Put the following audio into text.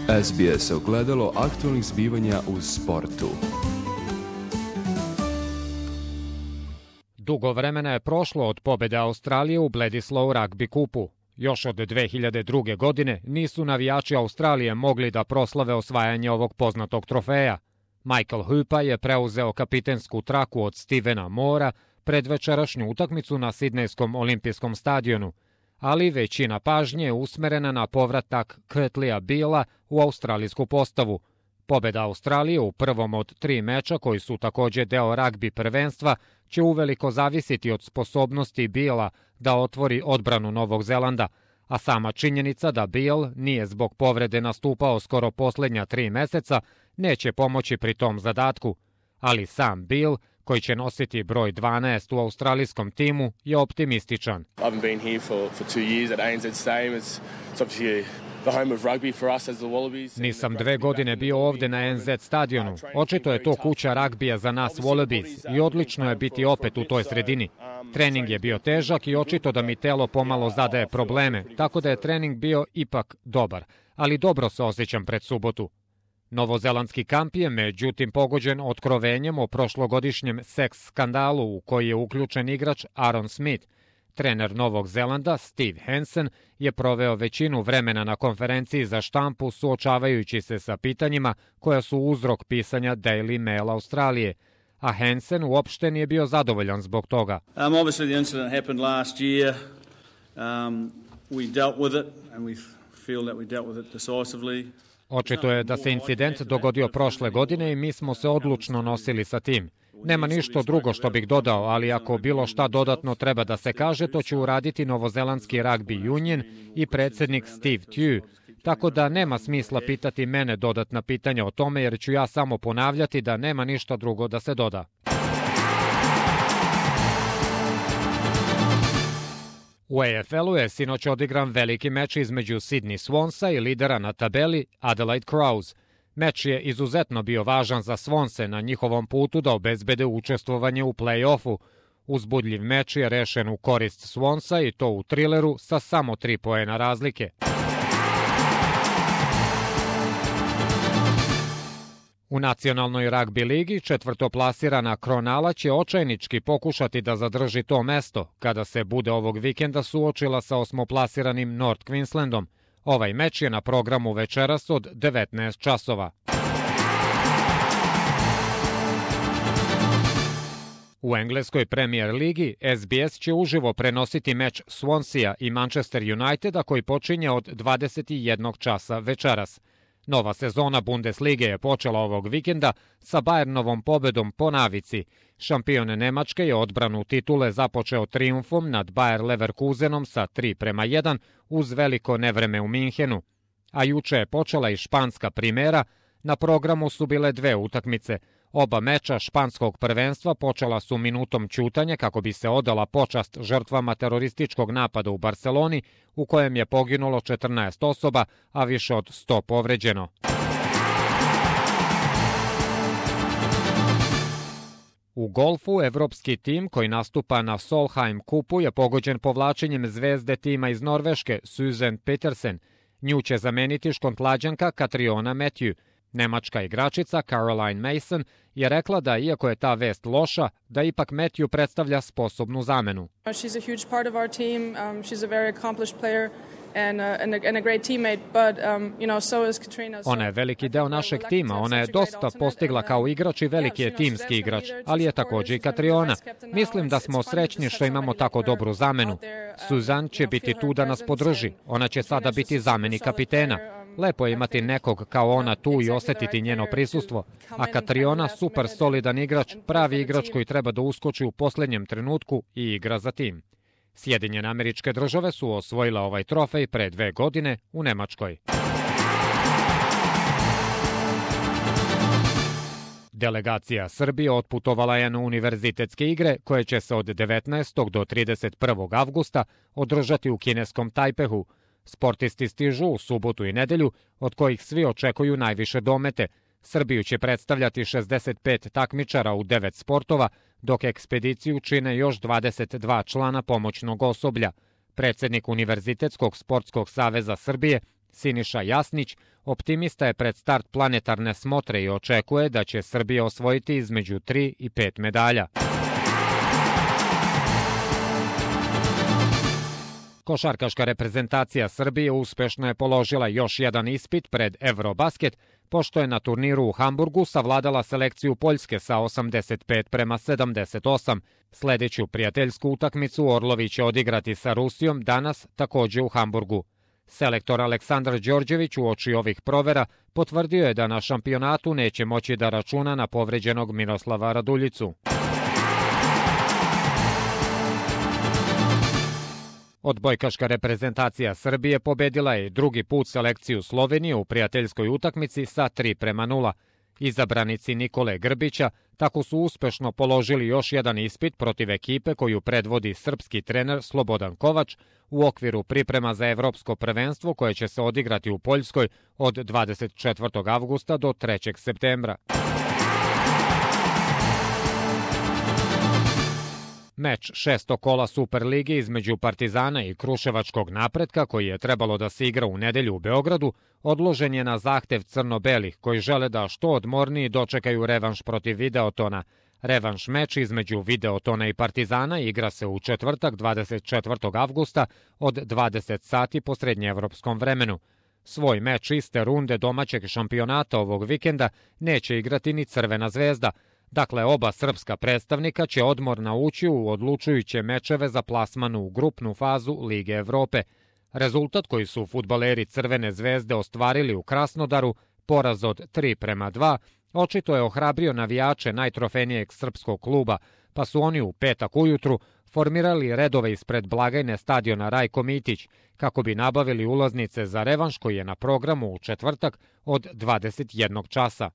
SBS ogledalo aktualnih zbivanja u sportu. Dugo vremena je prošlo od pobjede Australije u Bledisloe Rugby kupu. Još od 2002. godine nisu navijači Australije mogli da proslave osvajanje ovog poznatog trofeja. Michael Hooper je preuzeo kapitensku traku od Stevena Moora pred večerašnju utakmicu na Sidnejskom olimpijskom stadionu, ali većina pažnje je usmerena na povratak Kurtleya Beala u australijsku postavu. Pobjeda Australije u prvom od 3 meča, koji su također deo ragbi prvenstva, će uveliko zavisiti od sposobnosti Beala da otvori odbranu Novog Zelanda, a sama činjenica da Beal nije zbog povrede nastupao skoro posljednja 3 meseca neće pomoći pri tom zadatku. Ali sam Beal, koji će nositi broj 12 u australijskom timu, je optimističan. Nisam 2 godine bio ovdje na ANZ stadionu. Očito je to kuća ragbija za nas Wallabies i odlično je biti opet u toj sredini. Trening je bio težak i očito da mi telo pomalo zadaje probleme, tako da je trening bio ipak dobar, ali dobro se osjećam pred subotu. Novozelandski kamp je međutim pogođen otkrovenjem o prošlogodišnjem seks skandalu u koji je uključen igrač Aaron Smith. Trener Novog Zelanda Steve Hansen je proveo većinu vremena na konferenciji za štampu suočavajući se sa pitanjima koja su uzrok pisanja Daily Mail Australije, a Hansen uopšte nije bio zadovoljan zbog toga. Obviously the incident happened last year. We dealt with it and we feel that we dealt with it decisively. Očito je da se incident dogodio prošle godine i mi smo se odlučno nosili sa tim. Nema ništa drugo što bih dodao, ali ako bilo šta dodatno treba da se kaže, to će uraditi Novozelandski Rugby Union i predsjednik Steve Tew, tako da nema smisla pitati mene dodatna pitanja o tome, jer ću ja samo ponavljati da nema ništa drugo da se doda. U AFL-u je sinoć odigran veliki meč između Sydney Swansa i lidera na tabeli Adelaide Crows. Meč je izuzetno bio važan za Swanse na njihovom putu da obezbede učestvovanje u play-offu. Uzbudljiv meč je rešen u korist Swansa i to u trileru sa samo 3 poena razlike. U nacionalnoj ragbi ligi četvrtoplasirana Cronulla će očajnički pokušati da zadrži to mesto kada se bude ovog vikenda suočila sa osmoplasiranim North Queenslandom. Ovaj meč je na programu večeras od 19 časova. U engleskoj Premier ligi SBS će uživo prenositi meč Swansea i Manchester Uniteda koji počinje od 21 časa večeras. Nova sezona Bundeslige je počela ovog vikenda sa Bayernovom pobedom po navici. Šampion Nemačke je odbranu titule započeo trijumfom nad Bayer Leverkusenom sa 3:1 uz veliko nevreme u Minhenu. A juče je počela i španska primera, na programu su bile 2 utakmice. Oba meča španskog prvenstva počela su minutom ćutanja kako bi se odala počast žrtvama terorističkog napada u Barceloni, u kojem je poginulo 14 osoba, a više od 100 povređeno. U golfu, evropski tim koji nastupa na Solheim kupu je pogođen povlačenjem zvezde tima iz Norveške, Susan Petersen. Nju će zameniti Škontlađanka Catriona Matthew. Nemačka igračica Caroline Mason je rekla da, iako je ta vest loša, da ipak Matthew predstavlja sposobnu zamenu. She's a huge part of our team. She's a very accomplished player and a great teammate, but so is Katrina. Ona je veliki deo našeg tima, ona je dosta postigla kao igrač i veliki je timski igrač, ali je također i Katriona. Mislim da smo srećni što imamo tako dobru zamenu. Susan će biti tu da nas podrži, ona će sada biti zameni kapitena. Lepo je imati nekog kao ona tu i osjetiti njeno prisustvo, a Katriona super solidan igrač, pravi igrač koji treba da uskoči u posljednjem trenutku i igra za tim. Sjedinjene Američke Države su osvojile ovaj trofej pre 2 godine u Nemačkoj. Delegacija Srbije otputovala je na univerzitetske igre koje će se od 19. do 31. avgusta održati u kineskom Tajpehu. Sportisti stižu u subotu i nedelju, od kojih svi očekuju najviše domete. Srbiju će predstavljati 65 takmičara u 9 sportova, dok ekspediciju čine još 22 člana pomoćnog osoblja. Predsjednik Univerzitetskog sportskog saveza Srbije Siniša Jasnić optimista je pred start planetarne smotre i očekuje da će Srbija osvojiti između 3 i 5 medalja. Košarkaška reprezentacija Srbije uspešno je položila još jedan ispit pred Eurobasket, pošto je na turniru u Hamburgu savladala selekciju Poljske sa 85-78. Sledeću prijateljsku utakmicu Orlovi će odigrati sa Rusijom danas takođe u Hamburgu. Selektor Aleksandar Đorđević uoči ovih provera potvrdio je da na šampionatu neće moći da računa na povređenog Miroslava Raduljicu. Odbojkaška reprezentacija Srbije pobedila je drugi put selekciju Slovenije u prijateljskoj utakmici sa 3:0. Izabranici Nikole Grbića tako su uspešno položili još jedan ispit protiv ekipe koju predvodi srpski trener Slobodan Kovač u okviru priprema za evropsko prvenstvo koje će se odigrati u Poljskoj od 24. avgusta do 3. septembra. Meč šestog kola Superlige između Partizana i Kruševačkog Napretka, koji je trebalo da se igra u nedelju u Beogradu, odložen je na zahtev crno-belih, koji žele da što odmorniji dočekaju revanš protiv Videotona. Revanš meč između Videotona i Partizana igra se u četvrtak 24. avgusta od 20 sati po srednjeevropskom vremenu. Svoj meč iste runde domaćeg šampionata ovog vikenda neće igrati ni Crvena zvezda. Dakle, oba srpska predstavnika će odmorna ući u odlučujuće mečeve za plasman u grupnu fazu Lige Evrope. Rezultat koji su fudbaleri Crvene zvezde ostvarili u Krasnodaru, poraz od 3:2, očito je ohrabrio navijače najtrofejnijeg srpskog kluba, pa su oni u petak ujutru formirali redove ispred blagajne stadiona Rajko Mitić, kako bi nabavili ulaznice za revanš koji je na programu u četvrtak od 21 časa.